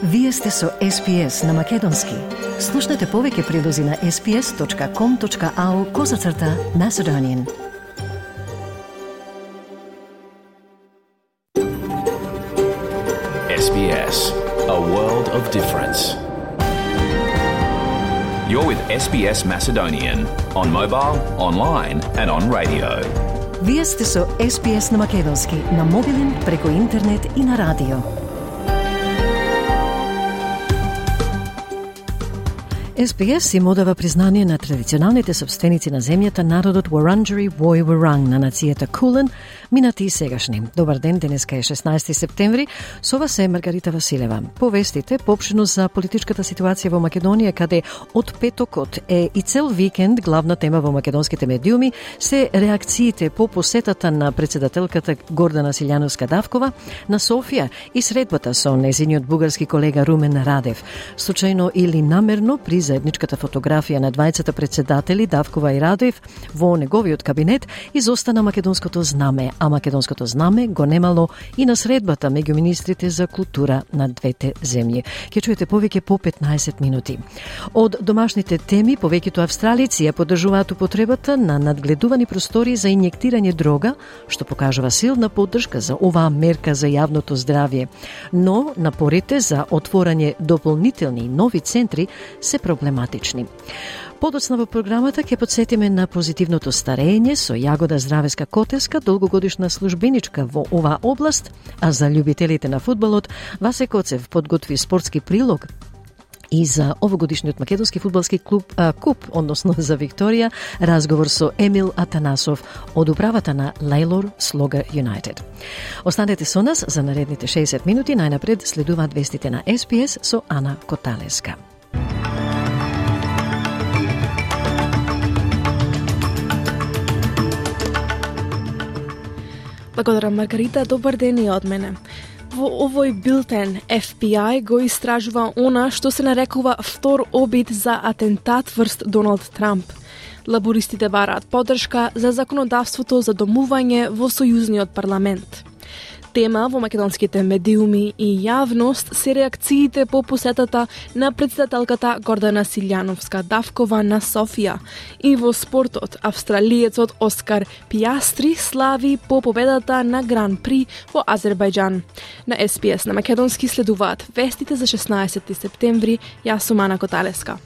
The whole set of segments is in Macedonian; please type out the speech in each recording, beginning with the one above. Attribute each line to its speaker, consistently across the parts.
Speaker 1: Вие сте со SPS на Македонски. Слушнете повеќе прилози на sps.com.au/Macedonian.
Speaker 2: SBS, a world of difference. You're with SBS Macedonian on mobile, online and on radio.
Speaker 1: Вие сте со SPS на Македонски, на мобилен, преку интернет и на радио. SPS им одава признание на традиционалните собственици на земјата, народот Wurundjeri Woi Wurrung на нацијата Кулен, минати и сегашни. Добар ден, денеска е 16 септември. Со вас е Маргарита Василева. Повестите поопштено за политичката ситуација во Македонија, каде од петокот е и цел викенд главна тема во македонските медиуми се реакциите по посетата на председателката Гордана Силјановска-Давкова на Софија и средбата со нејзиниот бугарски колега Румен Радев. Случајно или намерно при заедничката фотографија на двајцата председатели Давкова и Радев во неговиот кабинет изостана македонското знаме, а македонското знаме го немало и на средбата меѓу министрите за култура на двете земји. Ќе чуете повеќе по 15 минути. Од домашните теми, повеќето австралици ја поддржуваат употребата на надгледувани простори за инјектирање дрога, што покажува силна поддршка за оваа мерка за јавното здравје. Но напорите за отворање дополнителни нови центри се проблематични. Подоцна во програмата ќе подсетиме на позитивното старење со Јагода Здравеска Котеска, долгогодишна службеничка во оваа област, а за љубителите на фудбалот Васе Коцев подготви спортски прилог и за овогодишниот македонски фудбалски куп, односно за Викторија, разговор со Емил Атанасов од управата на Лейлор Слога Юнайтед. Останете со нас за наредните 60 минути, најнапред следуваат вестите на SPS со Ана Коталеска.
Speaker 3: Благодарам, Маргарита. Добар ден и од мене. Во овој билтен FBI го истражува она што се нарекува втор обид за атентат врз Доналд Трамп. Лабористите бараат поддршка за законодавството за домување во сојузниот парламент. Тема во македонските медиуми и јавност се реакциите по посетата на председателката Гордана Силјановска-Давкова на Софија. И во спортот, австралиецот Оскар Пијастри слави по победата на Гран При во Азербајџан. На SPS на македонски следуваат вестите за 16 септември. Јас сум Ана Коталеска.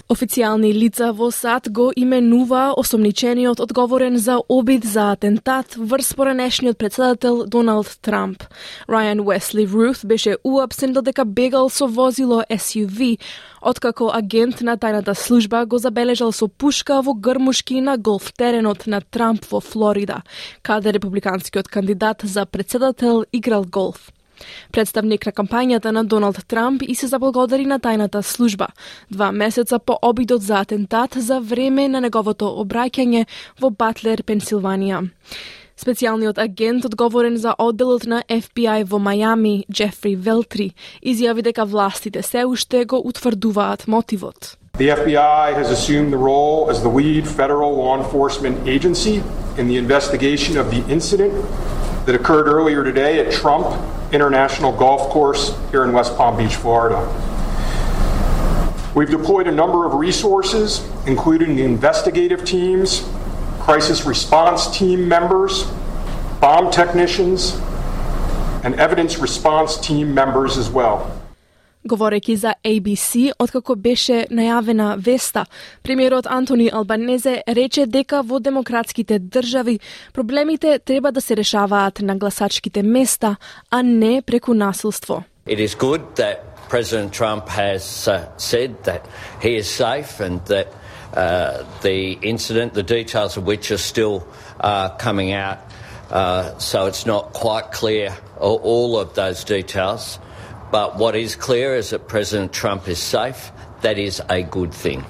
Speaker 3: Официјални лица во САД го именува осомничениот одговорен за обид за атентат врз поранешниот председател Доналд Трамп. Рајан Уесли Рут беше уапсен додека бегал со возило SUV, откако агент на тајната служба го забележал со пушка во грмушки на голф теренот на Трамп во Флорида, каде републиканскиот кандидат за председател играл голф. Представник на кампањата на Доналд Трамп и се заблагодари на тајната служба 2 месеца по обидот за атентат за време на неговото обраќање во Батлер, Пенсилванија. Специјалниот агент одговорен за одделот на FBI во Мајами, Джефри Велтри, изјави дека властите се уште го утврдуваат мотивот.
Speaker 4: The FBI has assumed the role as the lead federal law enforcement agency in the investigation of the incident that occurred earlier today at Trump International Golf Course here in West Palm Beach, Florida. We've deployed a number of resources, including the investigative teams, crisis response team members, bomb technicians, and evidence response team members as well.
Speaker 3: Говорејќи за ABC, откако беше најавена веста, премиерот Антони Албанезе рече дека во демократските држави проблемите треба да се решаваат на гласачките места, а не преку насилство.
Speaker 5: It is good that President Trump has said that he is safe and that the incident, the details of which are still coming out, so it's not quite clear all of those details. But what is clear is that President Trump is safe. That is a good thing.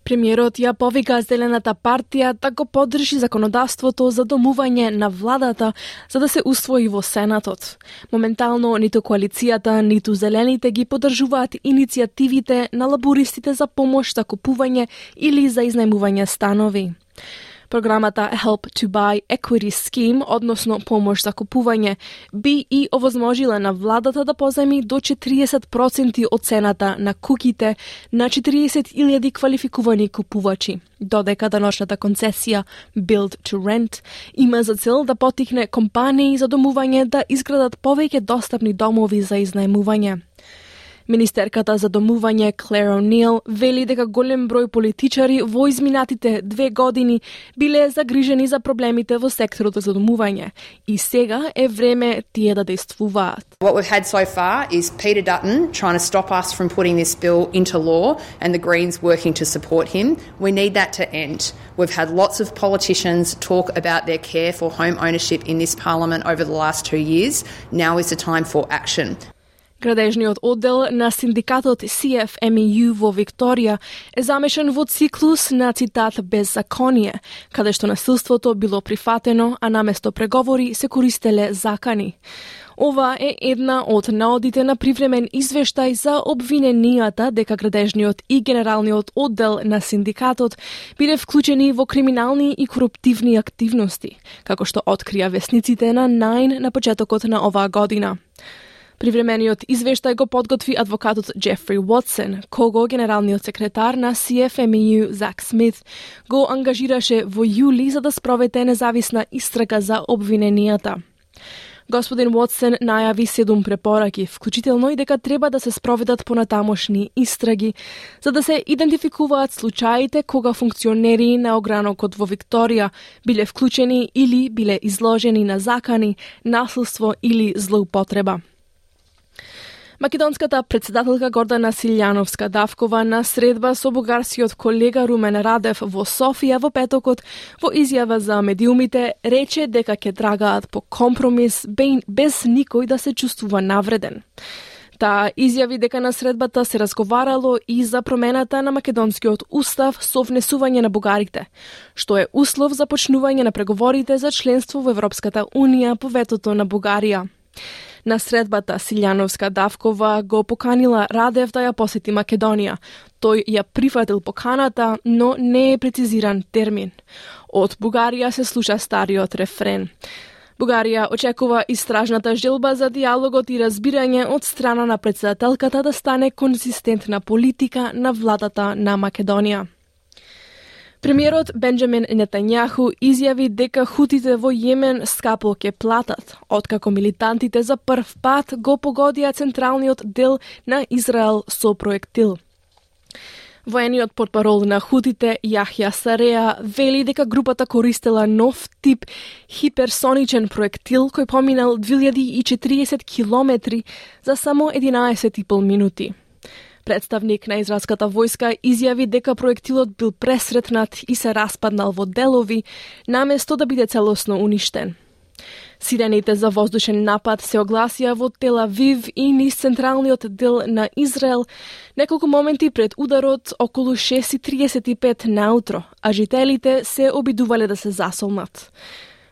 Speaker 3: Премиерот ја повика Зелената партија да го поддржи законодавството за домување на владата за да се усвои во Сенатот. Моментално ниту коалицијата, ниту Зелените ги поддржуваат иницијативите на лабористите за помош за купување или за изнајмување станови. Програмата Help to Buy Equity Scheme, односно помош за купување, би и овозможила на владата да позајми до 40% од цената на куќите на 40,000 квалификувани купувачи, додека даночната концесија Build to Rent има за цел да потикне компании за домување да изградат повеќе достапни домови за изнајмување. Министерката за домување Клер О'Нил вели дека голем број политичари во изминатите 2 години биле загрижени за проблемите во секторот за домување и сега е време тие да действуваат.
Speaker 6: What we've had so far is Peter Dutton trying to stop us from putting this bill into law and the Greens working to support him. We need that to end. We've had lots of politicians talk about their care for home ownership in this parliament over the last 2 years. Now is the time for action.
Speaker 3: Градежниот оддел на синдикатот CFMEU во Викторија е замешан во циклус на цитат беззаконие, каде што насилството било прифатено, а наместо преговори се користеле закани. Ова е една од наодите на привремен извештај за обвиненијата дека градежниот и генералниот оддел на синдикатот биле вклучени во криминални и коруптивни активности, како што открија весниците на Nine на почетокот на оваа година. Привремениот извештај го подготви адвокатот Джефри Уотсон, кого генералниот секретар на CFMEU Зак Смит го ангажираше во јули за да спроведе независна истрага за обвиненијата. Господин Уотсон најави 7 препораки, вклучително и дека треба да се спроведат понатамошни истраги, за да се идентификуваат случаите кога функционери на огранокот во Викторија биле вклучени или биле изложени на закани, насилство или злоупотреба. Македонската председателка Гордана Силјановска-Давкова на средба со бугарскиот колега Румен Радев во Софија во петокот во изјава за медиумите рече дека ќе трагаат по компромис без никој да се чувствува навреден. Таа изјави дека на средбата се разговарало и за промената на македонскиот устав со внесување на бугарите, што е услов за почнување на преговорите за членство во Европската унија по ветото на Бугарија. На средбата Силјановска-Давкова го поканила Радев да ја посети Македонија. Тој ја прифатил поканата, но не е прецизиран термин. Од Бугарија се слуша стариот рефрен. Бугарија очекува истражната желба за диалогот и разбирање од страна на председателката да стане конзистентна политика на владата на Македонија. Премиерот Бенџамин Нетањаху изјави дека хутите во Јемен скапо ќе платат, откако милитантите за прв пат го погодија централниот дел на Израел со проектил. Воениот портпарол на хутите Јахја Сареа вели дека групата користела нов тип хиперсоничен проектил кој поминал 2040 километри за само 11,5 минути. Представник на израелската војска изјави дека проектилот бил пресретнат и се распаднал во делови, наместо да биде целосно уништен. Сирените за воздушен напад се огласија во Тел Авив и низ централниот дел на Израел неколку моменти пред ударот околу 6:35 наутро, а жителите се обидувале да се засолнат.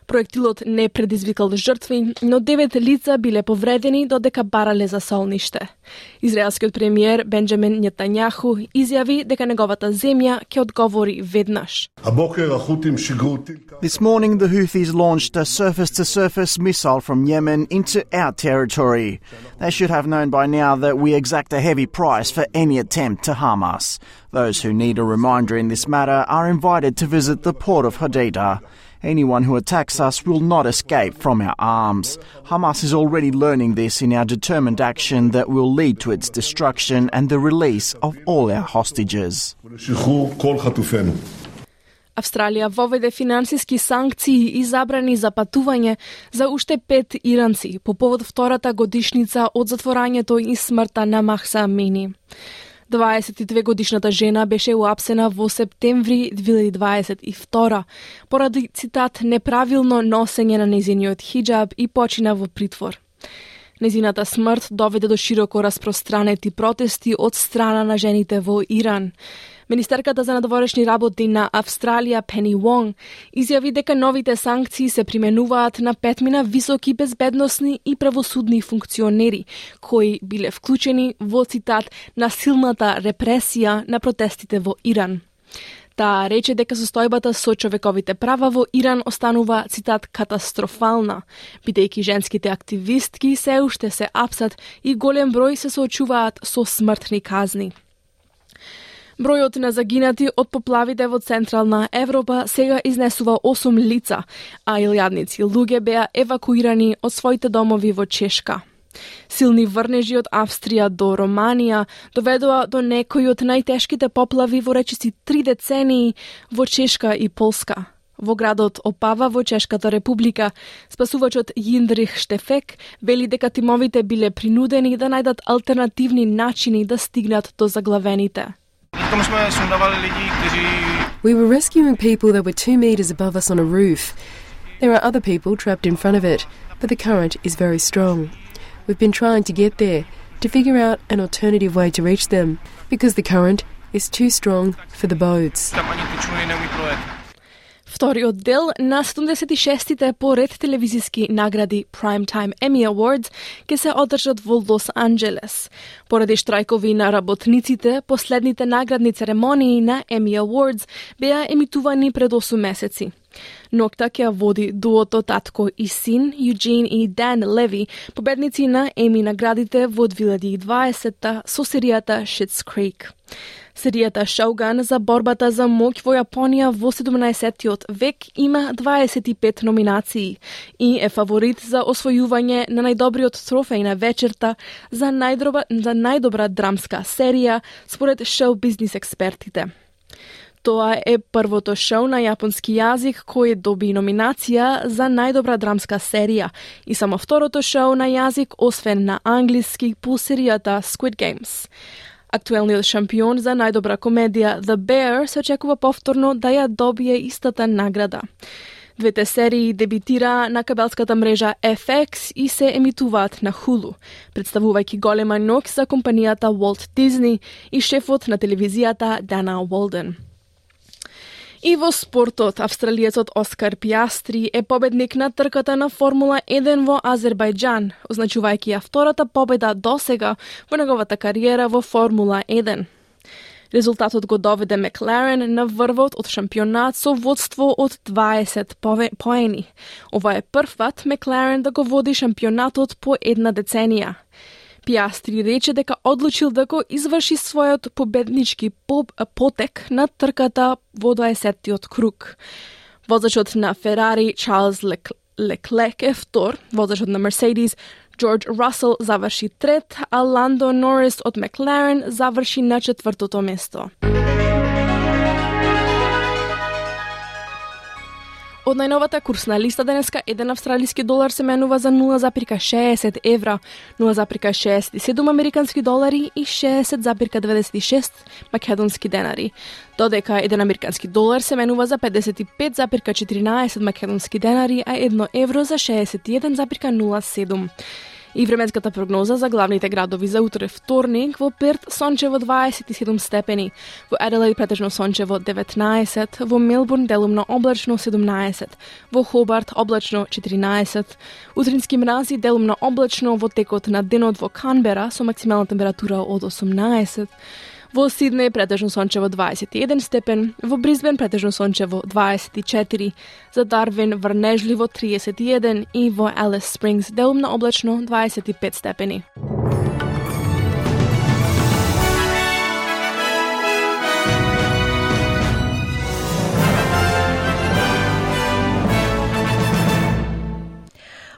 Speaker 3: Проектилот не предизвикал жртви, но 9 лица биле повредени додека барале за солниште. Израелскиот премиер Бенџамин Нетањаху изјави дека неговата земја ќе одговори веднаш.
Speaker 7: This morning the Houthis launched a surface-to-surface missile from Yemen into our territory. They should have known by now that we exact a heavy price for any attempt to harm us. Those who need a reminder in this matter are invited to visit the port of Hodeidah. Anyone who attacks us will not escape from our arms. Hamas is already learning this in our determined action that will lead to its destruction and the release of all our hostages.
Speaker 3: Австралија воведе финансиски санкции и забрани за патување за уште 5 иранци по повод втората годишница од затворањето и смртта на Махса Амини. 22-годишната жена беше уапсена во септември 2022 поради цитат неправилно носење на незиниот хиджаб и почина во притвор. Незината смрт доведе до широко распространети протести од страна на жените во Иран. Министерката за надворешни работи на Австралија Пени Вонг изјави дека новите санкции се применуваат на 5 високи безбедносни и правосудни функционери кои биле вклучени во цитат насилната репресија на протестите во Иран. Таа рече дека состојбата со човековите права во Иран останува, цитат, катастрофална, бидејќи женските активистки се уште се апсат и голем број се соочуваат со смртни казни. Бројот на загинати од поплавите во Централна Европа сега изнесува 8 лица, а илјадници луѓе беа евакуирани од своите домови во Чешка. Силни врнежи од Австрија до Романија доведоа до некои од најтешките поплави во речиси 3 децении во Чешка и Полска. Во градот Опава во Чешката република, спасувачот Јиндрих Штефек вели дека тимовите биле принудени да најдат алтернативни начини да стигнат до заглавените.
Speaker 8: We were rescuing people that were 2 meters above us on a roof. There are other people trapped in front of it, but the current is very strong. We've been trying to get there, to figure out an alternative way to reach them, because the current is too strong for the boats.
Speaker 3: Вториот дел на 76-тите поред телевизиски награди Primetime Emmy Awards ќе се одржат во Лос Анџелес. Поради штрајкови на работниците, последните наградни церемонии на Emmy Awards беа емитувани пред 8 месеци. Нокта ќе води дуото татко и син, Юджин и Дан Леви, победници на Еми наградите во 2020 со серијата Schitt's Creek. Серијата Shogun за борбата за моќ во Јапонија во 17-тиот век има 25 номинации и е фаворит за освојување на најдобриот трофеј на вечерта за најдобра драмска серија според шоу-бизнис експертите. Тоа е првото шоу на јапонски јазик кој доби номинација за најдобра драмска серија и само второто шоу на јазик освен на англиски по серијата Squid Games. Актуелниот шампион за најдобра комедија The Bear се очекува повторно да ја добие истата награда. Двете серии дебитира на кабелската мрежа FX и се емитуваат на Hulu, представувајќи голема ноќ за компанијата Walt Disney и шефот на телевизијата Дана Уолден. И во спортот, австралиецот Оскар Пиастри е победник на трката на Формула 1 во Азербајџан, означувајќи ја втората победа досега во неговата кариера во Формула 1. Резултатот го доведе Макларен на врвот од шампионат со водство од 20 поени. Ова е првпат Макларен да го води шампионатот по една деценија. Пиастри рече дека одлучил да го изврши својот победнички потек на трката во 20-тиот круг. Возачот на Ферари Чарлз Леклек е втор, возачот на Мерседис Джордж Расел заврши трет, а Ландо Норис од Макларен заврши на 4-то место. Од најновата курсна листа денеска, 1 австралиски долар се менува за 0,60 евра, 0,67 американски долари и 60,96 македонски денари. Додека 1 американски долар се менува за 55,14 македонски денари, а 1 евро за 61,07. И временската прогноза за главните градови за утре вторник: во Перт сончево 27 степени, во Аделаид претежно сончево 19, во Мелбурн делумно облачно 17, во Хобарт облачно 14, утрински мрази делумно облачно во текот на денот во Канбера со максимална температура од 18, во Сиднеј претежно сончево 21 степен, во Брисбен претежно сончево 24, за Дарвин врнежливо 31 и во Алис Спрингс делумно облачно 25 степени.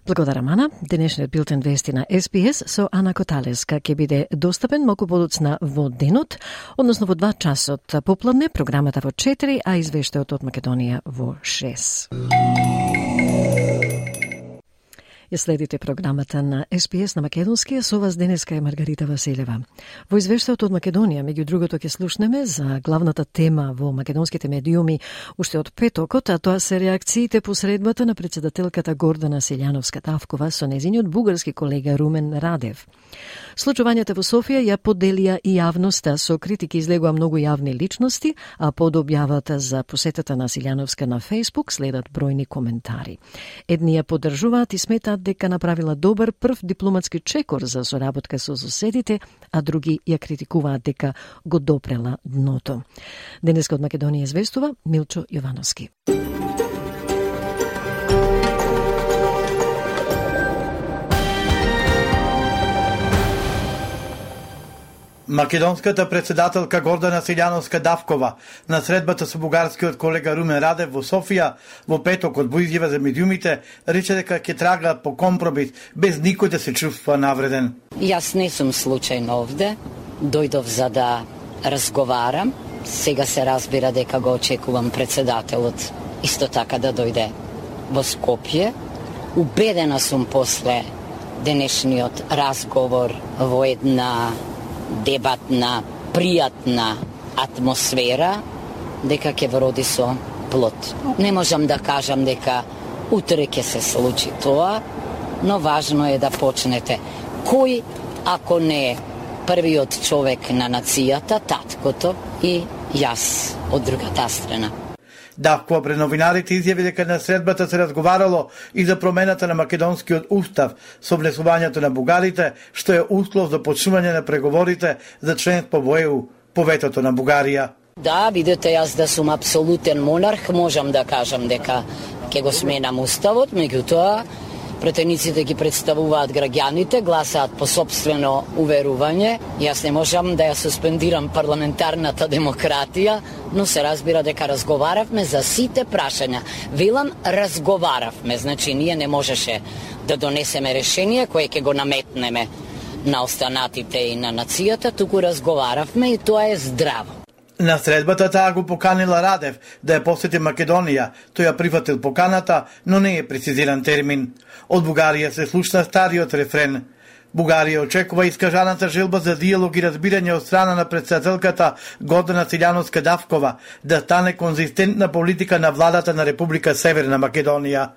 Speaker 1: Благодарам, Ана. Денешниот билтен вести на СПС со Ана Коталеска ќе биде достапен малку подоцна во денот, односно во 2 часот попладне, програмата во 4, а извештајот од Македонија во 6. Ја следите програмата на СПС на македонски, со вас денеска е Маргарита Василева. Во извештајот од Македонија, меѓу другото, ќе слушнеме за главната тема во македонските медиуми уште од петокот, а тоа се реакциите по средбата на председателката Гордана Силјановска-Тавкова со незиниот бугарски колега Румен Радев. Случувањата во Софија ја поделија и јавноста, со критики излегува многу јавни личности, а под објавата за посетата на Силјановска на Фејсбук следат бројни коментари. Едни ја поддржуваат и сметаат дека направила добар прв дипломатски чекор за соработка со соседите, а други ја критикуваат дека го допрела дното. Денеска од Македонија известува Милчо Јовановски.
Speaker 9: Македонската председателка Гордана Силјановска-Давкова на средбата со бугарскиот колега Румен Радев во Софија во петокот во изјава за медиумите рече дека ќе трага по компромис без никој да се чувствува навреден.
Speaker 10: Јас не сум случајно овде, дојдов за да разговарам. Сега се разбира дека го очекувам председателот исто така да дојде во Скопје. Убедена сум после денешниот разговор во една дебатна, пријатна атмосфера, дека ќе вроди со плод. Не можам да кажам дека утре ќе се случи тоа, но важно е да почнете. Кој, ако не првиот човек на нацијата, таткото и јас од другата страна.
Speaker 9: Давкова пред новинарите изјави дека на средбата се разговарало и за промената на македонскиот устав со внесувањето на бугарите, што е услов за почнување на преговорите за членство во ЕУ по ветото на Бугарија.
Speaker 10: Да, видите, јас да сум апсолутен монарх, можам да кажам дека ќе го сменам уставот, меѓутоа претениците ги представуваат граѓаните, гласаат по сопствено уверување. Јас не можам да ја суспендирам парламентарната демократија, но се разбира дека разговаравме за сите прашања. Велам, разговаравме, значи ние не можеше да донесеме решение кое ќе го наметнеме на останатите и на нацијата, туку разговаравме и тоа е здраво.
Speaker 9: На средбата таа го поканила Радев да ја посети Македонија. Тој ја прифатил поканата, но не е прецизиран термин. Од Бугарија се слушна стариот рефрен. Бугарија очекува искажаната желба за диалог и разбирање од страна на председателката Гордана Силјановска-Давкова да стане конзистентна политика на владата на Република Северна Македонија.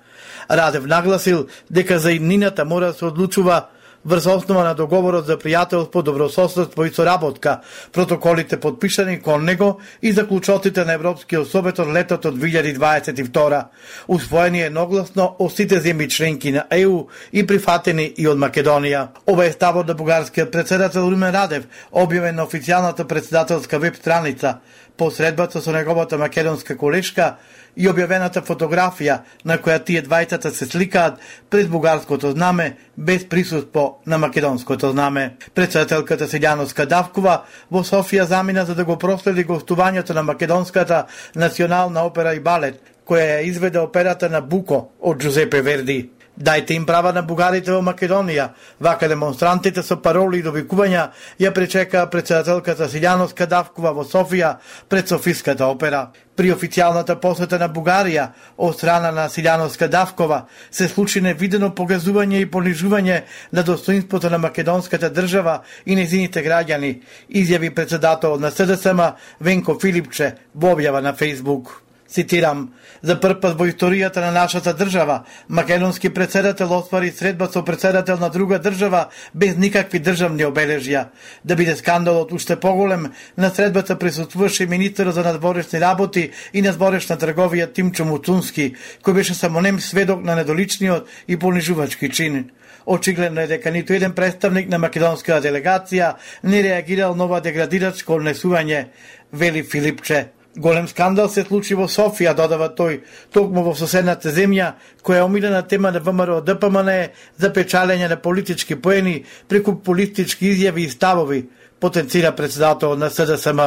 Speaker 9: Радев нагласил дека за иднината мора да се одлучува врз основа на договорот за пријателство, добрососедство и соработка, протоколите подпишани кон него и заклучоците на Европскиот совет од летото од 2022, усвоени едногласно од сите земји членки на ЕУ и прифатени и од Македонија. Ова е ставот на бугарскиот председател Румен Радев, објавен на официјалната председателска веб страница, по средбата со неговата македонска колешка и објавената фотографија на која тие двајцата се сликаат пред бугарското знаме без присуство на македонското знаме. Председателката Силјановска-Давкова во Софија замина за да го проследи гостувањето на македонската национална опера и балет, која ја изведе операта на Буко од Джузепе Верди. Дајте им права на бугарите во Македонија. Вака демонстрантите со пароли и довикувања ја пречекаа председателката Силјановска-Давкова во Софија пред Софиската опера. При официјалната посета на Бугарија од страна на Силјановска-Давкова се случи невидено погазување и понижување на достоинството на македонската држава и нејзините граѓани, изјави председателот на СДСМ Венко Филипче во објава на Фејсбук. Цитирам, за прв пат во историјата на нашата држава, македонски председател оствари средба со председател на друга држава без никакви државни обележја. Да биде скандалот уште поголем, на средбата присуствуваше министерот за надворешни работи и надворешна трговија Тимчо Муцунски, кој беше само нем сведок на недоличниот и понижувачки чин. Очигледно е дека ниту еден представник на македонската делегација не реагирал на ова деградирачко однесување, вели Филипче. Голем скандал се случи во Софија, додава тој, токму во соседната земја, која е омилена тема на ВМРО ДПМН за печалење на политички поени преку политички изјави и ставови, потенцира председателот на СДСМ.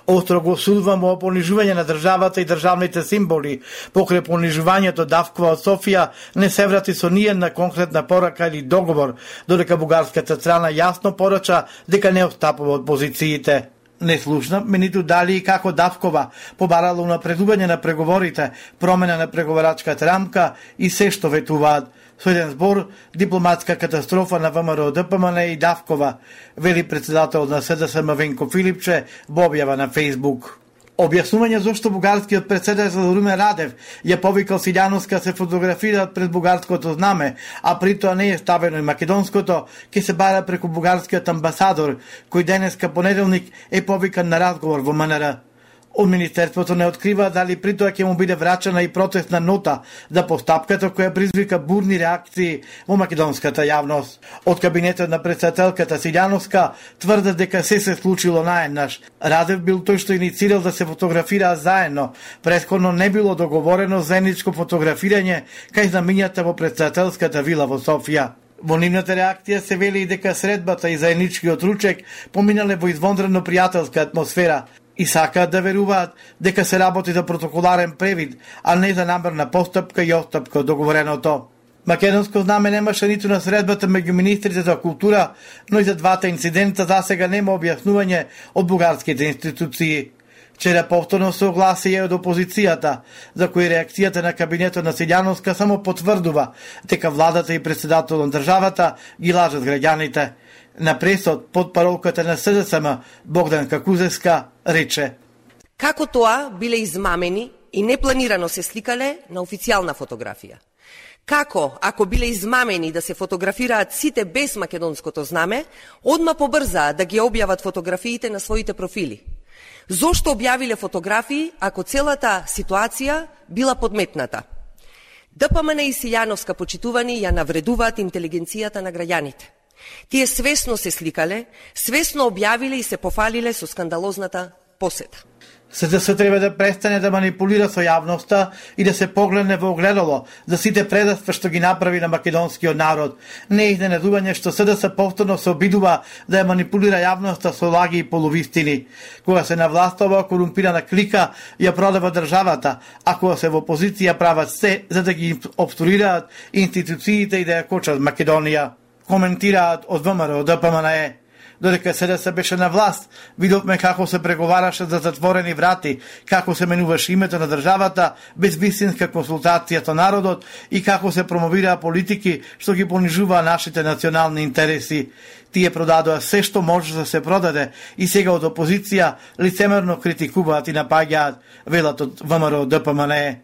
Speaker 9: Остро го осудувам во понижување на државата и државните символи. Покрај понижувањето Давкова од Софија не се врати со ниједна конкретна порака или договор, додека бугарската страна јасно порача дека не отстапува од позициите. Не слушна, ниту дали и како Давкова побарала унапредување на преговорите, промена на преговарачката рамка и се што ветуваат. Со еден збор, дипломатска катастрофа на ВМРО ДПМН и Давкова, вели председател на СДСМ Венко Филипче во објава на Фејсбук. Објаснување зошто бугарскиот председател Румен Радев ја повикал Силјановска се фотографираат пред бугарското знаме, а при тоа не е ставено и македонското, ќе се бара преку бугарскиот амбасадор, кој денеска понеделник е повикан на разговор во МНР. Од Министерството не открива дали при тоа ќе му биде врачена и протестна нота за постапката која призвика бурни реакции во македонската јавност. Од кабинетот на председателката Силјановска тврдат дека се случило наеднаш. Радев бил тој што иницирал да се фотографираат заедно. Претходно не било договорено заедничко фотографирање кај знамињата во председателската вила во Софија. Во нивната реакција се вели и дека средбата и заедничкиот ручек поминале во извонредно пријателска атмосфера и сакаат да веруваат дека се работи за протоколарен превид, а не за намерна постапка и отстапка од договореното. Македонско знаме немаше ниту на средбата меѓу министрите за култура, но и за двата инцидента засега нема објаснување од бугарските институции. Вчера повторно се огласија од опозицијата, за кој реакцијата на кабинетот на Силјановска само потврдува дека владата и председателот на државата ги лажат граѓаните. На пресод под паролката на СДСМ Богдан Какузевска рече:
Speaker 11: како тоа биле измамени и непланирано се сликале на официјална фотографија? Како, ако биле измамени да се фотографираат сите без македонското знаме, одма побрзаа да ги објават фотографиите на своите профили? Зошто објавиле фотографии ако целата ситуација била подметната? ДПМН и Силјановска, почитувани, ја навредуваат интелигенцијата на граѓаните. Тие свесно се сликале, свесно објавиле и се пофалиле со скандалозната посета.
Speaker 9: СДС треба да престане да манипулира со јавноста и да се погледне во огледало за сите предавства што ги направи на македонскиот народ. Не е изненадување што СДС повторно се обидува да ја манипулира јавноста со лаги и полувистини. Кога се на власт, оваа корумпирана клика ја продава државата, а кога се во опозиција прават се за да ги обструираат институциите и да ја кочат Македонија. Коментираат од ВМРО ДПМНЕ. Додека СДС беше на власт, видовме како се преговараше за затворени врати, како се менуваше името на државата без вистинска консултација со народот и како се промовираа политики што ги понижуваа нашите национални интереси. Тие продадоа се што може да се продаде и сега од опозиција лицемерно критикуваат и напаѓаат, велат од ВМРО ДПМНЕ.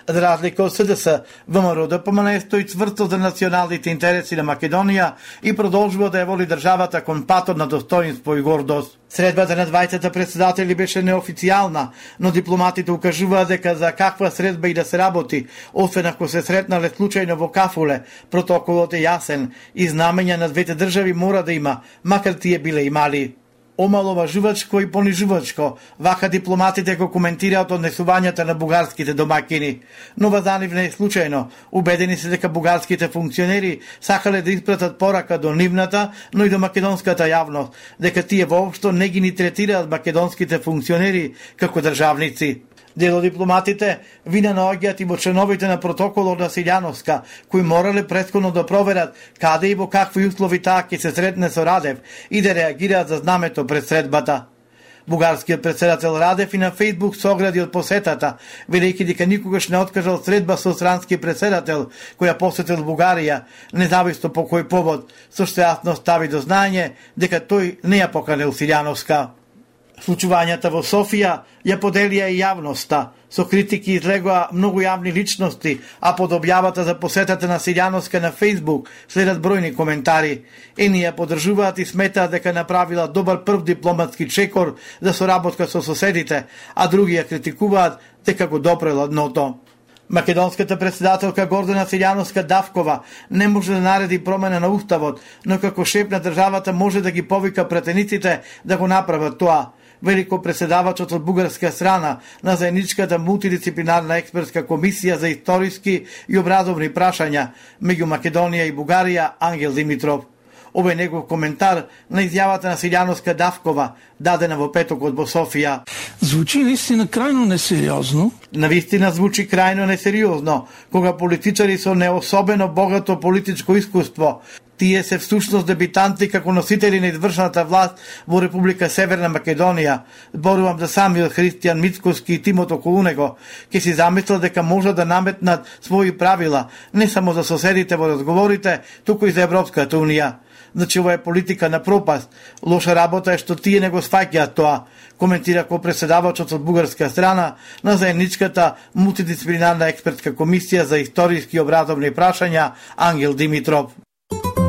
Speaker 9: За разлика од СДС, ВМРО ДПМНЕ стои цврсто за националните интереси на Македонија и продолжува да ја воли државата кон патот на достоинство и гордост. Средбата на двајцата председатели беше неофицијална, но дипломатите укажуваат дека за каква средба и да се работи, освен ако се сретнале случајно во кафуле, протоколот е јасен и знамења на двете држави мора да има, макар тие биле и мали. Омаловажувачко и понижувачко, вака дипломатите го коментираат однесувањата на бугарските домакини. Но за нив не е случајно. Убедени се дека бугарските функционери сакале да испратат порака до нивната, но и до македонската јавност, дека тие воопшто не ги ни третираат македонските функционери како државници. Дел од дипломатите вина наоѓаат и во членовите на протоколот на Силјановска, кои морале претходно да проверат каде и во какви услови таа ќе се сретне со Радев и да реагираат за знамето пред средбата. Бугарскиот председател Радев и на Фејсбук се огради од посетата, велејќи дека никогаш не откажал средба со странски председател која посетил Бугарија, независно по кој повод, со што јасно стави до знаење дека тој не ја поканил Силјановска. Случувањата во Софија ја поделија и јавноста. Со критики излегоа многу јавни личности, а под објавата за посетата на Силјановска на Фејсбук следат бројни коментари. Едни ја поддржуваат и сметаат дека направила добар прв дипломатски чекор за соработка со соседите, а други ја критикуваат дека го допрела дното. Македонската председателка Гордана Силјановска Давкова не може да нареди промена на уставот, но како шеф на државата може да ги повика претениците да го направат тоа. Велико председавачот од бугарска страна на заедничката мултидисциплинарна експертска комисија за историски и образовни прашања меѓу Македонија и Бугарија Ангел Димитров. Овој негов коментар на изјавата на Силјановска Давкова, дадена во петокот во Софија.
Speaker 12: Звучи наистина крајно несериозно.
Speaker 9: Навистина звучи крајно несериозно, кога политичари со неособено богато политичко искуство, тие се всушност дебитанти како носители на извршната власт во Република Северна Македонија, зборувам за самиот Христијан Мицкоски и тимот околу него, ќе си замислат дека може да наметнат своји правила, не само за соседите во разговорите, туку и за Европската Унија. Значи, ова е политика на пропаст. Лоша работа е што тие не го сваќаат тоа, коментира ко председавачот од бугарска страна на заедничката мултидисциплинарна експертска комисија за историски и образовни прашања Ангел Димитров.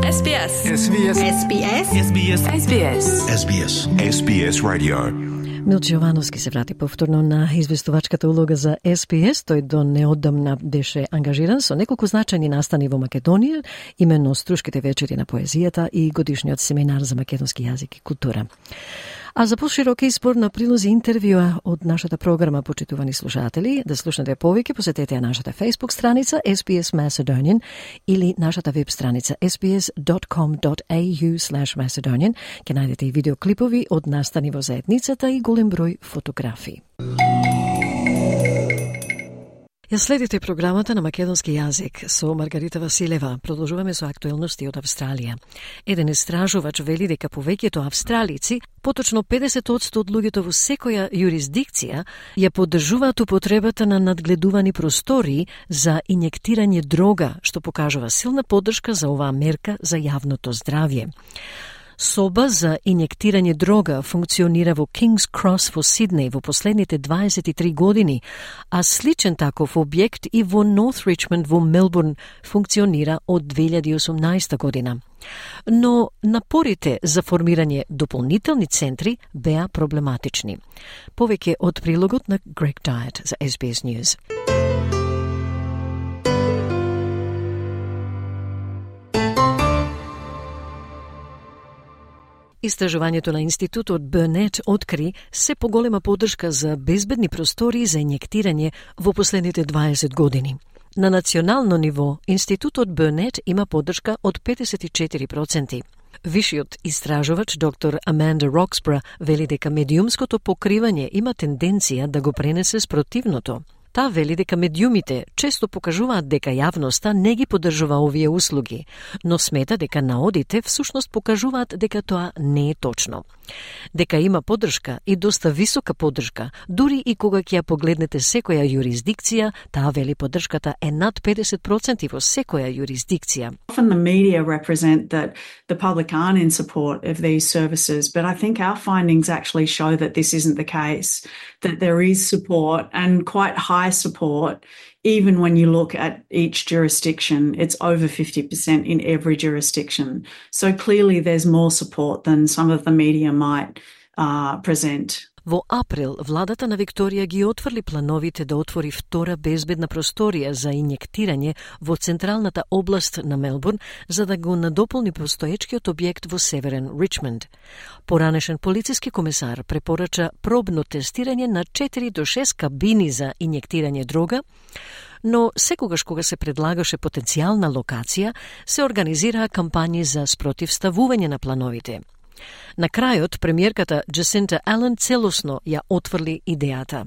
Speaker 13: SBS. SBS. SBS. SBS. SBS. SBS. SBS Radio.
Speaker 1: Милче Јовановски се врати повторно на известувачката улога за СПС. Тој до неодамна беше ангажиран со неколку значајни настани во Македонија, именно Струшките вечери на поезијата и годишниот семинар за македонски јазик и култура. А за поширок избор на прилози интервјуа од нашата програма, почитувани слушатели, да слушнете повеќе, посетете нашата Facebook страница SBS Macedonian или нашата веб страница sbs.com.au/Macedonian. Ке најдете и видеоклипови од настани во заедницата и голем број фотографии. Ја следите програмата на македонски јазик со Маргарита Василева. Продолжуваме со актуелности од Австралија. Еден истражувач вели дека повеќето австралици, поточно 50% од луѓето во секоја юрисдикција, ја поддржуваат употребата на надгледувани простории за инјектирање дрога, што покажува силна поддршка за оваа мерка за јавното здравје. Соба за инјектирање дрога функционира во King's Cross во Сиднеј во последните 23 години, а сличен таков објект и во North Richmond во Мелбурн функционира од 2018 година. Но напорите за формирање дополнителни центри беа проблематични. Повеќе од прилогот на Greg Diet за SBS News. Истражувањето на Институтот Burnett откри се поголема поддршка за безбедни простории за инјектирање во последните 20 години. На национално ниво, Институтот Burnett има поддршка од 54%. Вишиот истражувач доктор Аманда Роксбра вели дека медиумското покривање има тенденција да го пренесе спротивното. Таа вели дека медиумите често покажуваат дека јавноста не ги поддржува овие услуги, но смета дека наодите всушност покажуваат дека тоа не е точно. Дека има поддршка и доста висока поддршка, дури и кога ќе ја погледнете секоја юрисдикција, таа вели поддршката е над 50% во секоја юрисдикција.
Speaker 13: Often the media represent that the public aren't in support of these services, but I think our findings actually show that this isn't the case, that there is support and quite high support. Even when you look at each jurisdiction, it's over 50% in every jurisdiction. So clearly there's more support than some of the media might present.
Speaker 1: Во април, владата на Викторија ги отврли плановите да отвори втора безбедна просторија за инјектирање во централната област на Мелбурн, за да го надополни постоечкиот објект во Северен Ричмонд. Поранешен полициски комесар препорача пробно тестирање на 4 до 6 кабини за инјектирање дрога, но секогаш кога се предлагаше потенцијална локација, се организираа кампањи за спротивставување на плановите. На крајот, премиерката Джасинта Ален целосно ја отврли идејата.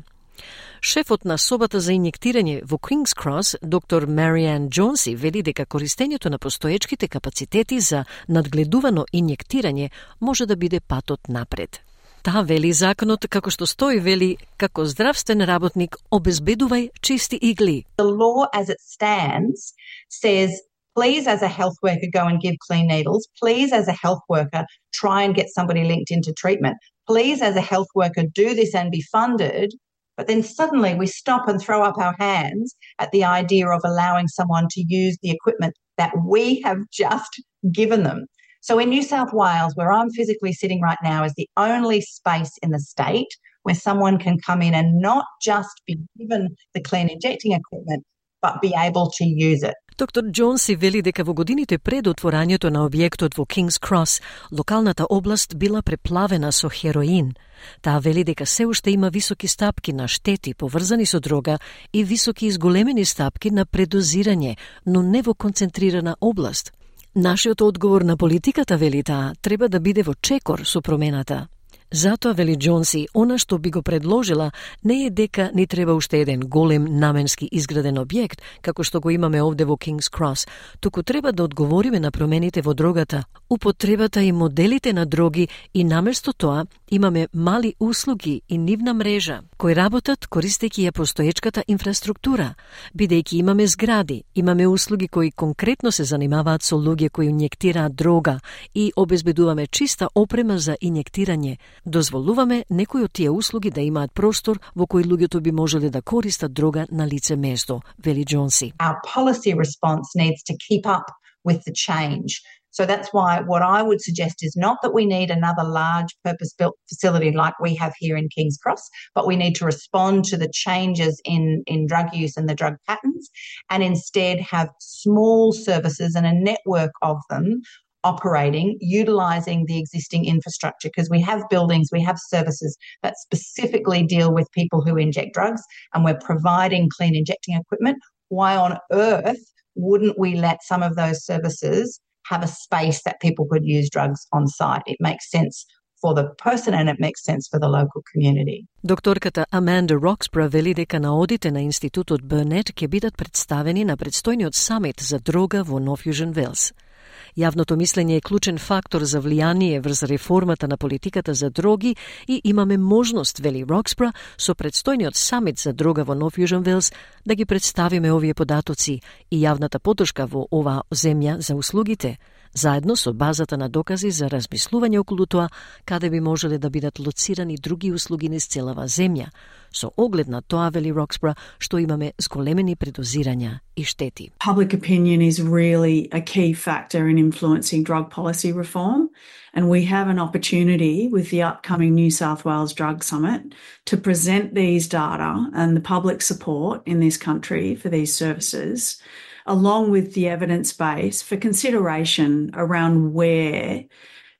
Speaker 1: Шефот на собата за инјектирање во King's Cross, доктор Мариан Джонси, вели дека користењето на постоечките капацитети за надгледувано инјектирање може да биде патот напред. Таа вели законот, како што стои, вели, како здравствен работник обезбедувај чисти игли.
Speaker 14: The law as it stands says, please as a health worker go and give clean needles. Please as a health worker try and get somebody linked into treatment. Please as a health worker do this and be funded. But then suddenly we stop and throw up our hands at the idea of allowing someone to use the equipment that we have just given them. So in New South Wales, where I'm physically sitting right now, is the only space in the state where someone can come in and not just be given the clean injecting equipment, but be able to use it.
Speaker 1: Доктор Джонси вели дека во годините пред отворањето на објектот во King's Cross, локалната област била преплавена со хероин. Таа вели дека се уште има високи стапки на штети поврзани со дрога и високи изголемени стапки на предозирање, но не во концентрирана област. Нашиот одговор на политиката, вели таа, треба да биде во чекор со промената. Затоа, вели Джонси, она што би го предложила не е дека ни треба уште еден голем наменски изграден објект, како што го имаме овде во King's Cross, туку треба да одговориме на промените во дрогата, употребата и моделите на дроги и наместо тоа имаме мали услуги и нивна мрежа, кои работат користејќи ја постоечката инфраструктура, бидејќи имаме згради, имаме услуги кои конкретно се занимаваат со луѓе кои инјектираат дрога и обезбедуваме чиста опрема за инјектирање. Дозволуваме некои од тие услуги да имаат простор во кој луѓето би можеле да користат дрога на лице место, вели Джонси.
Speaker 14: Our policy response needs to keep up with the change. So that's why what I would suggest is not that we need another large purpose-built facility like we have here in King's Cross, but we need to respond to the changes in drug use and the drug patterns, and instead have small services and a network of them operating, utilising the existing infrastructure, because we have buildings, we have services that specifically deal with people who inject drugs, and we're providing clean injecting equipment. Why on earth wouldn't we let some of those services have a space that people could use drugs on site? It makes sense for the person and it makes sense for the local community.
Speaker 1: Докторката Аманда Роксбро вели дека наодите на институтот Бернет ќе бидат представени на предстојниот самит за дрога во Нов Јужен Велс. Јавното мислење е клучен фактор за влијание врз реформата на политиката за дроги и имаме можност, вели Роксбро, со предстојниот самит за дрога во Нов Јужен Велс да ги представиме овие податоци и јавната поддршка во оваа земја за услугите, заедно со базата на докази за размислување околу тоа каде би можеле да бидат лоцирани други услуги низ целава земја, со оглед на тоа, вели Роксбро, што имаме зголемени предозирања и штети.
Speaker 13: Public opinion is really a key factor in influencing drug policy reform, and we have an opportunity with the upcoming New South Wales Drug Summit to present these data and the public support in this country for these services, along with the evidence base for consideration around where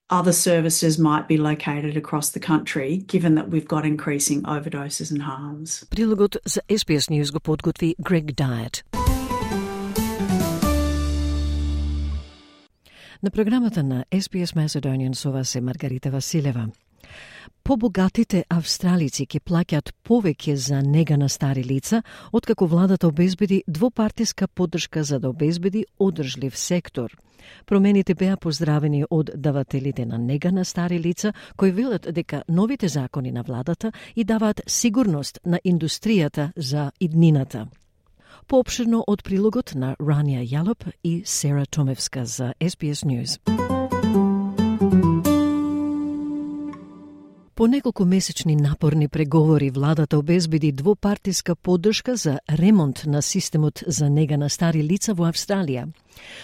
Speaker 13: other services might be located across the country, given that we've got increasing overdoses and harms.
Speaker 1: Прилогот за SBS News го подготви Greg Diet. На програмата на SBS Macedonian со вас е Маргарита Василева. Побогатите австралици ќе плаќаат повеќе за нега на стари лица, откако владата обезбеди двопартиска поддршка за да обезбеди одржлив сектор. Промените беа поздравени од давателите на нега на стари лица, кои велат дека новите закони на владата и даваат сигурност на индустријата за иднината. Поопширно од прилогот на Рания Јалоп и Сера Томевска за SBS News. По неколку месечни напорни преговори, владата обезбеди двопартиска поддршка за ремонт на системот за нега на стари лица во Австралија.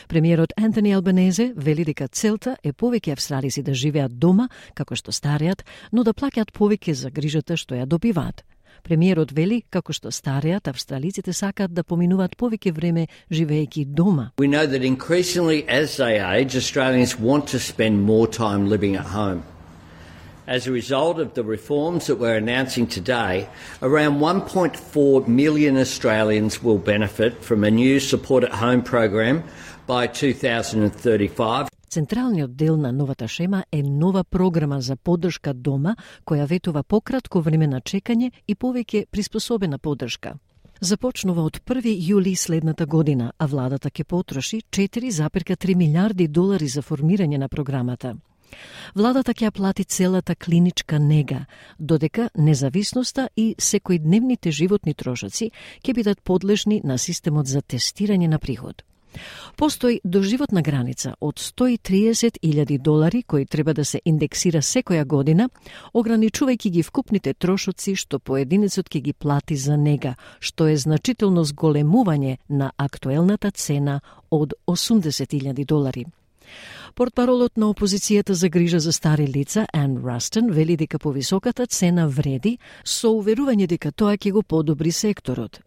Speaker 1: Премиерот Антони Албанезе вели дека целта е повеќе австралици да живеат дома, како што стареат, но да плаќаат повеќе за грижата што ја добиваат. Премиерот вели како што стареат австралиците сакаат да поминуваат повеќе време живеејќи дома.
Speaker 5: We know that increasingly as they age, Australians want to spend more time living at home. As a result of the reforms that we're announcing today, around 1.4 million Australians will benefit from a new Support at Home program by 2035.
Speaker 1: Централниот дел на новата шема е нова програма за поддршка дома, која ветува пократко време на чекање и повеќе приспособена поддршка. Започнува од 1 јули следната година, а владата ќе потроши $4,3 милиарди за формирање на програмата. Владата ќе плати целата клиничка нега, додека независноста и секојдневните животни трошоци ќе бидат подлежни на системот за тестирање на приход. Постои доживотна граница од $130,000 кој треба да се индексира секоја година, ограничувајќи ги вкупните трошоци што поединецот ќе ги плати за нега, што е значително зголемување на актуелната цена од $80,000. Портпаролот на опозицијата за грижа за стари лица, Ан Растон, вели дека повисоката цена вреди со уверување дека тоа ќе го подобри секторот.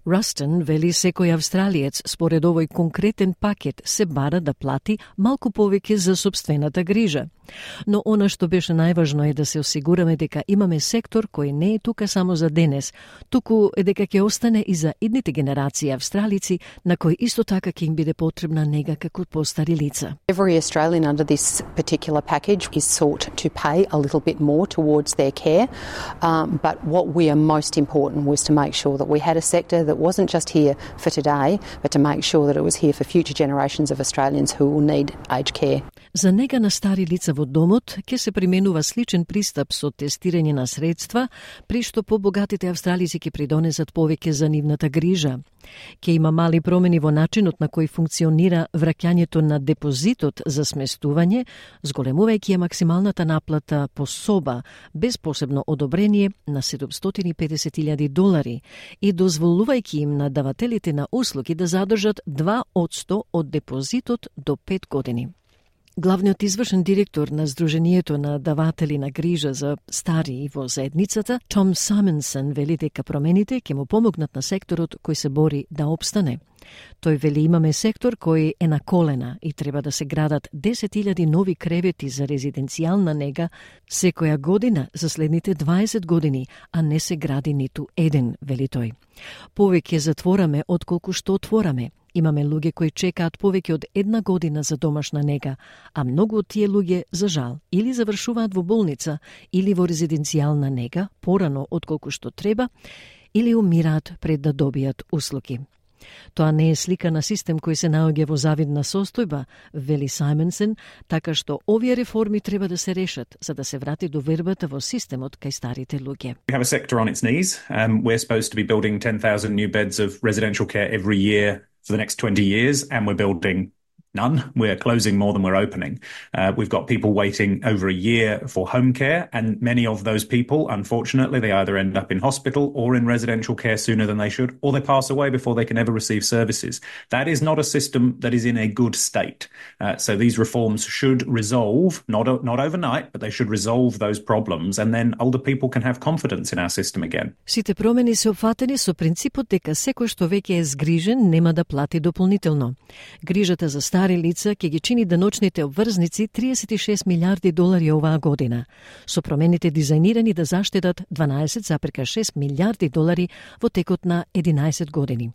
Speaker 1: Растон вели секој австралиец според овој конкретен пакет се бара да плати малку повеќе за сопствената грижа. Но она што беше најважно е да се осигураме дека имаме сектор кој не е тука само за денес, туку е дека ќе остане и за идните генерации австралици на кои исто така ќе им биде потребна нега како постари лица.
Speaker 15: Every Australian under this particular package is sought to pay a little bit more towards their care, but what we are most important was to make sure that we had a sector that wasn't just here for today, but to make sure that it was here for future generations of Australians who will need aged care.
Speaker 1: За нега на стари лица во домот ќе се применува сличен пристап со тестирање на средства, при што побогатите австралици ќе придонесат повеќе за нивната грижа. Ќе има мали промени во начинот на кој функционира враќањето на депозитот за сместување, зголемувајќи ја максималната наплата по соба без посебно одобрение на $750,000 и дозволувајќи им на давателите на услуги да задржат 2% од депозитот до 5 години. Главниот извршен директор на Сдруженијето на даватели на грижа за стари во заедницата, Том Саймонсон, вели дека промените ќе му помогнат на секторот кој се бори да опстане. Тој вели имаме сектор кој е на колена и треба да се градат 10.000 нови кревети за резиденцијална нега секоја година за следните 20 години, а не се гради ниту еден, вели тој. Повеќе затвораме отколку што отвораме. Имаме луѓе кои чекаат повеќе од една година за домашна нега, а многу од тие луѓе, за жал, или завршуваат во болница, или во резиденцијална нега, порано отколку што треба, или умираат пред да добијат услуги. Тоа не е слика на систем кој се наоѓа во завидна состојба, вели Саймонсон, така што овие реформи треба да се решат за да се врати довербата во системот кај старите луѓе.
Speaker 16: We have a sector on its knees. We're supposed to be building 10,000 new beds of residential care every year for the next 20 years, and we're building none. We're closing more than we're opening. We've got people waiting over a year for home care, and many of those people, unfortunately, they either end up in hospital or in residential care sooner than they should, or they pass away before they can ever receive services. That is not a system that is in a good state. So these reforms should resolve, not overnight, but they should resolve those problems, and then older people can have confidence in our system again.
Speaker 1: Сите промени се опфатени со принципот дека секој што веќе е згрижен нема да плати дополнително. Грижата за стари лица ќе ги чини деночните обврзници $36 милиарди оваа година, со промените дизајнирани да заштедат $12,6 милиарди во текот на 11 години.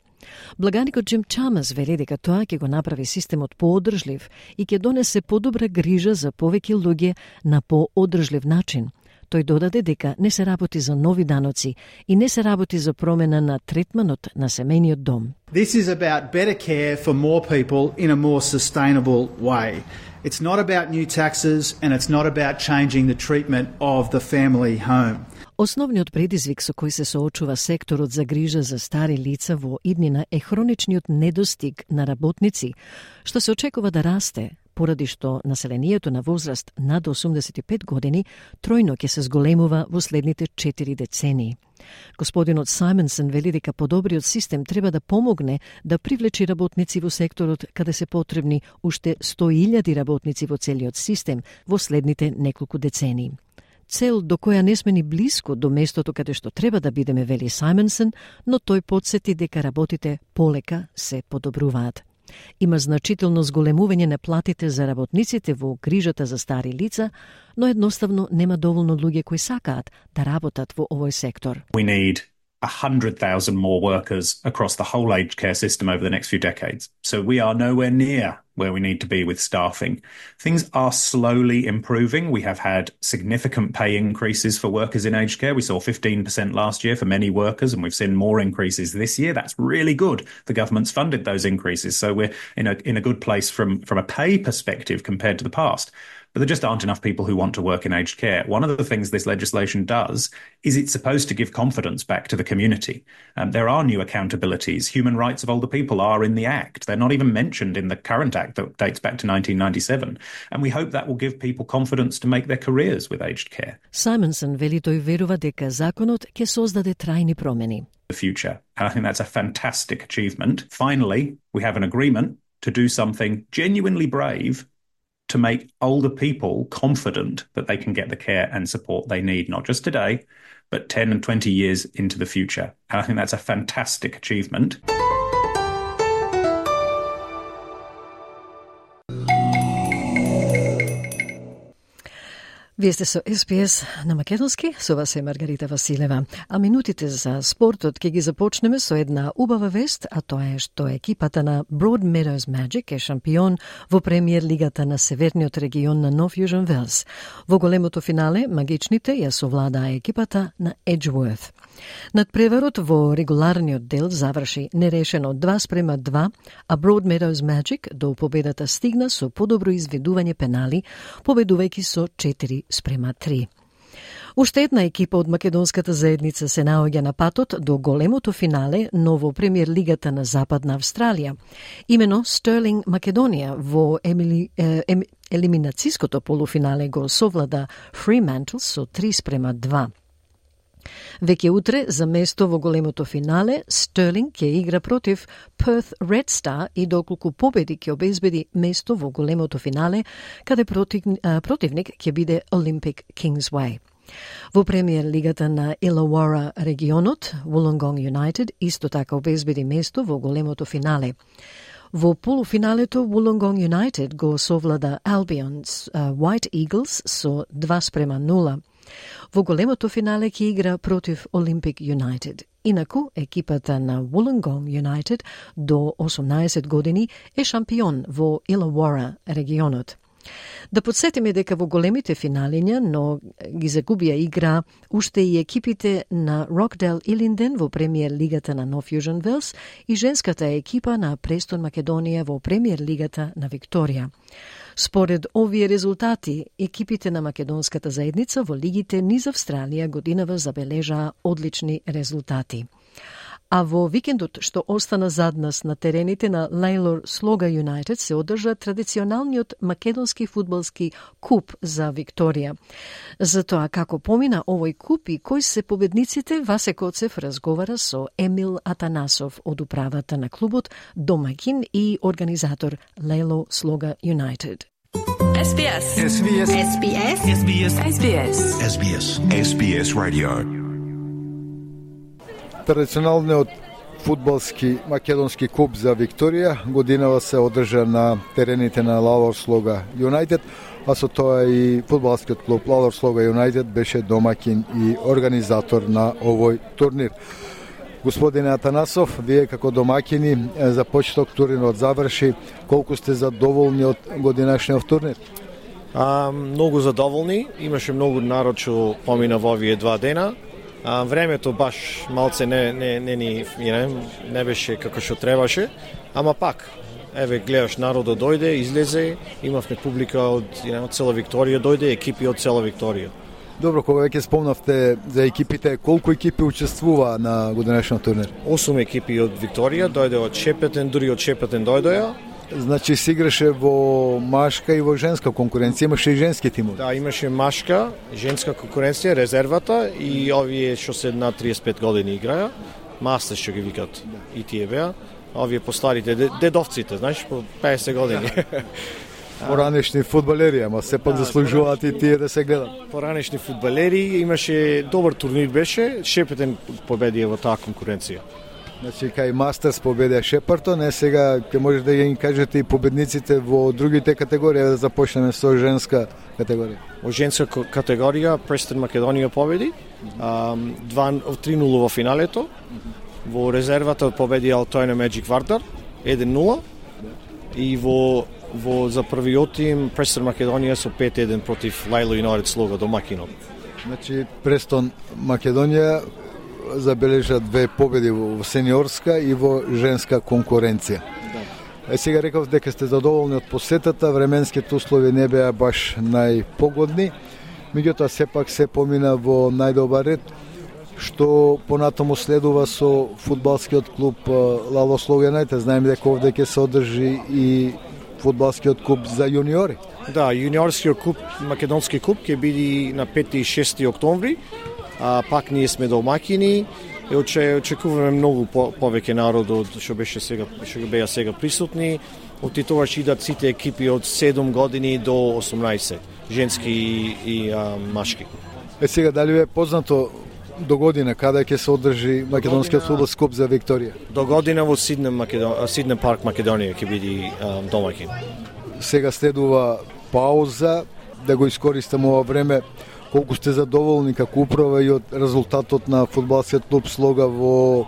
Speaker 1: Благаникот Джим Чамас вели дека тоа ќе го направи системот поодржлив и ќе донесе подобра грижа за повеќе луѓе на поодржлив начин. Тој додаде дека не се работи за нови даноци и не се работи за промена на третманот на семејниот дом.
Speaker 17: This is about better care for more people in a more sustainable way. It's not about new taxes and it's not about changing the treatment of the family home.
Speaker 1: Основниот предизвик со кој се соочува секторот за грижа за стари лица во иднина е хроничниот недостиг на работници, што се очекува да расте, поради што населението на возраст над 85 години тројно ќе се зголемува во следните 4 децении. Господинот Саймонсон вели дека подобриот систем треба да помогне да привлечи работници во секторот каде се потребни уште 100.000 работници во целиот систем во следните неколку децении. Цел до која не сме ни блиско до местото каде што треба да бидеме, вели Саймонсон, но тој потсети дека работите полека се подобруваат. Има значително зголемување на платите за работниците во грижата за стари лица, но едноставно нема доволно луѓе кои сакаат да работат во овој сектор.
Speaker 16: We need 100,000 more workers across the whole aged care system over the next few decades. So we are nowhere near where we need to be with staffing. Things are slowly improving. We have had significant pay increases for workers in aged care. We saw 15% last year for many workers, and we've seen more increases this year. That's really good. The government's funded those increases, so we're in a good place from a pay perspective compared to the past. But there just aren't enough people who want to work in aged care. One of the things this legislation does is it's supposed to give confidence back to the community. There are new accountabilities. Human rights of older people are in the Act. They're not even mentioned in the current Act that dates back to 1997. And we hope that will give people confidence to make their careers with aged care.
Speaker 1: Саймонсон вели тој верува дека законот ќе создаде трајни промени.
Speaker 16: The future. And I think that's a fantastic achievement. Finally, we have an agreement to do something genuinely brave to make older people confident that they can get the care and support they need, not just today, but 10 and 20 years into the future. And I think that's a fantastic achievement.
Speaker 1: Вие сте со СПС на македонски, со вас е Маргарита Василева. А минутите за спортот ќе ги започнеме со една убава вест, а тоа е што екипата на Broadmeadows Magic е шампион во премиер лигата на северниот регион на Нов Јужен Велс. Во големото финале, магичните ја совладаа екипата на Edgeworth. Надпреварот во регуларниот дел заврши нерешено 2:2, а Broadmeadows Magic до победата стигна со подобро изведување пенали, победувајќи со 4:3. Уште една екипа од македонската заедница се наоѓа на патот до големото финале, но во премиер лигата на Западна Австралија. Имено Стерлинг Македонија во елиминацијското полуфинале го совлада Fremantle со 3:2. Веќе утре за место во големото финале Стерлинг ќе игра против Perth Red Star и доколку победи ќе обезбеди место во големото финале, каде противник ќе биде Olympic Kingsway. Во премиер лигата на Illawarra регионот, Wollongong United исто така обезбеди место во големото финале. Во полуфиналето Wollongong United го совлада Albion's White Eagles со 2:0. Во големото финале ќе игра против Olympic United. Инаку, екипата на Wollongong United до 18 години е шампион во Illawarra регионот. Да подсетиме дека во големите финалиња, но ги загубија игра уште и екипите на Rockdale Иллинден во премиер лигата на North Fusion Wales и женската екипа на Престон Македонија во премиер лигата на Викторија. Според овие резултати, екипите на македонската заедница во лигите низ Австралија годинава забележаа одлични резултати. А во викендот што остана зад нас на терените на Lalor Sloga United се одржа традиционалниот македонски фудбалски куп за Викторија. За тоа како помина овој куп и кои се победниците, Васе Коцев разговара со Емил Атанасов од управата на клубот, домакин и организатор Lalor Sloga United.
Speaker 18: SBS.
Speaker 19: SBS.
Speaker 18: SBS.
Speaker 19: SBS.
Speaker 18: SBS.
Speaker 19: SBS. SBS Radio.
Speaker 20: Традиционалниот фудбалски македонски куп за Викторија годинава се одржа на терените на Lalor Sloga United, а со тоа и фудбалскиот клуб Lalor Sloga United беше домакин и организатор на овој турнир. Господине Атанасов, вие како домакини за почеток турнирот заврши, колку сте задоволни од годинашниот турнир?
Speaker 21: Многу задоволни, имаше многу народ што помина во овие 2 дена. Времето баш малце не беше како што требаше, ама пак, еве гледаш народот дојде, излезе, имавме публика од цела Викторија дојде, екипи од цела Викторија.
Speaker 20: Добро, кога веќе спомнавте за екипите, колку екипи учествува на годинашниот турнир?
Speaker 21: 8 екипи од Викторија, дојде од Шепетен, дури од Шепетен дојдоја.
Speaker 20: Значи се играше во машка и во женска конкуренција, имаше и женски тимови.
Speaker 21: Да, имаше машка, женска конкуренција, резервата и овие што се на 35 години играја, мастер што ги викат и тие беа, овие постарите, дедовците, знаеш, по 50 години.
Speaker 20: Поранешни фудбалери, ама сепак заслужуваат и тие да се гледат.
Speaker 21: Поранешни фудбалери, имаше добар турнир беше, Шепетен победија во таа конкуренција.
Speaker 20: Значи, кај Мастерс победија Шепартон, сега ќе може да ги кажете и победниците во другите категории, да започнеме со женска категорија.
Speaker 21: Во женска категорија Престон Македонија победи, 3-0 во финалето, во резервата победи Altona Magic Vardar, 1-0, и за првиот тим Престон Македонија со 5-1 против Lalor United Sloga домакинот.
Speaker 20: Значи, Престон Македонија забележа 2 победи во сениорска и во женска конкуренција. Да. Сега реков дека сте задоволни од посетата, временските услови не беа баш најпогодни, меѓутоа сепак се помина во најдобар ред, што понатаму следува со фудбалскиот клуб Lalor Sloga United. Знаеме дека овде ќе се одржи и фудбалскиот клуб за јуниори.
Speaker 21: Да, јуниорскиот клуб, македонски клуб ќе биде на 5 и 6 октомври. Пак ние сме домакини и очекуваме многу повеќе народ од што беа сега присутни. Оттитоваш идат сите екипи од 7 години до 18, женски и машки.
Speaker 20: Сега дали е познато до година каде ќе се одржи македонскиот фудбалски клуб за Викторија?
Speaker 21: До година во Сиднем парк Македонија ќе биде домакин.
Speaker 20: Сега следува пауза, да го искористиме ова време. Колку сте задоволни како управа и од резултатот на фудбалскиот клуб Слога во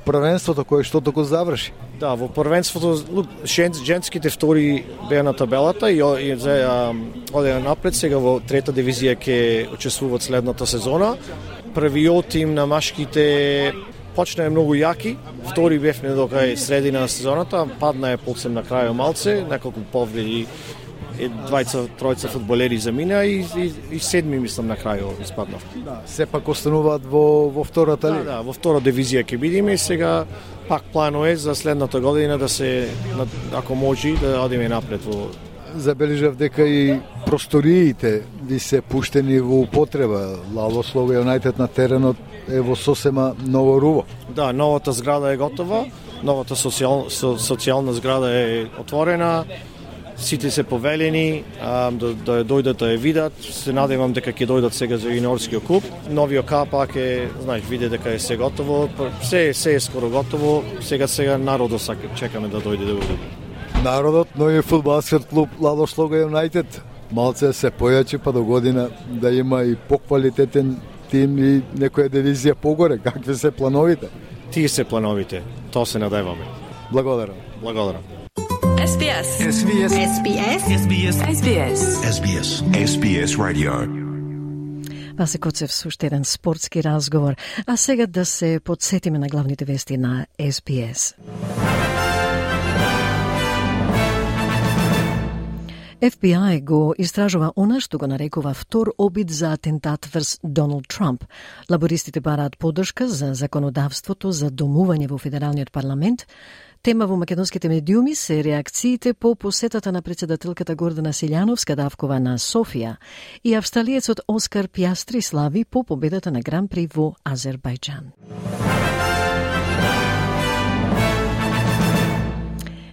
Speaker 20: првенството кое што току заврши?
Speaker 21: Да, во првенството женските втори беа на табелата и одеа напред. Сега во трета дивизија ќе учествуваат следната сезона. Првиот тим на машките почна многу јаки, втори бевме до кај средина на сезоната, падна е полцем на крајот малце, неколку повреди, тројца фудбалери замина и седми мислам на крајот испаднав.
Speaker 20: Да, сепак остануваат во втората лига.
Speaker 21: Да, во втора дивизија ќе бидеме и сега пак плано е за следната година да се, ако може, да одиме напред во...
Speaker 20: Забележав дека и просториите ви се пуштени во употреба. Лалослов Юнайтед на теренот е во сосема ново руво.
Speaker 21: Да, новата зграда е готова, новата социјална зграда е отворена, сите се повелени да дојдат да ја видат. Се надевам дека ќе дојдат сега за јуниорскиот клуб. Новиот капак е, знаеш, види дека е се готово, се е скоро готово. Сега народот чекаме да дојде да го види.
Speaker 20: Народот, новиот фудбалски клуб Лалослов Юнайтед, малце се појачи па до година да има и поквалитетен тим и некоја дивизија погоре. Какви се плановите?
Speaker 21: Тие се плановите, тоа се надеваме.
Speaker 20: Благодарам.
Speaker 21: Благодарам.
Speaker 19: SBS. SBS. SBS. SBS. SBS. SBS. SBS Radio.
Speaker 1: Васе Коцев со уште еден спортски разговор. А сега да се подсетиме на главните вести на SBS. FBI го истражува она што го нарекува втор обид за атентат врз Доналд Трамп. Лабористите бараат поддршка за законодавството за домување во Федералниот парламент. Тема во македонските медиуми се реакциите по посетата на председателката Гордана Силјановска-Давкова на Софија и австралиецот Оскар Пиастри слави по победата на Гран При во Азербајџан.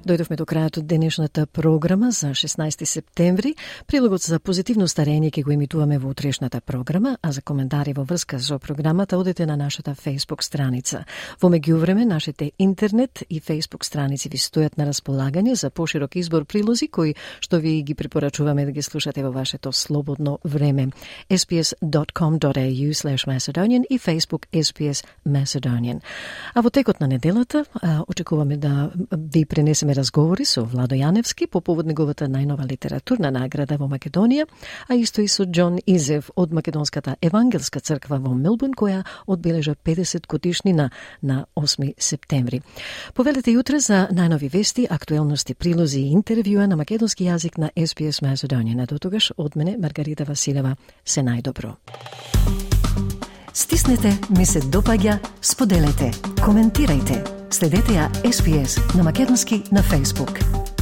Speaker 1: Дојдовме до крајот од денешната програма за 16 септември. Прилогот за позитивно старење ќе го емитуваме во утрешната програма, а за коментари во врска со програмата одете на нашата Facebook страница. Во меѓувреме, нашите интернет и Facebook страници ви стојат на располагање за поширок избор прилози кои што ви ги препорачуваме да ги слушате во вашето слободно време. sbs.com.au/Macedonian и Facebook SBS Macedonian. А во текот на неделата очекуваме да ви пренесеме разговори со Владо Јаневски по повод неговата најнова литературна награда во Македонија, а исто и со Џон Изев од Македонската евангелска црква во Мелбурн, која одбележа 50 годишнина на 8 септември. Повелете јутре за најнови вести, актуелности, прилози и интервјуа на македонски јазик на SBS Macedonian. До тогаш, од мене, Маргарита Василева, се најдобро. Стиснете, ми се допаѓа, споделете, коментирајте. Следете ја SBS на македонски на Facebook.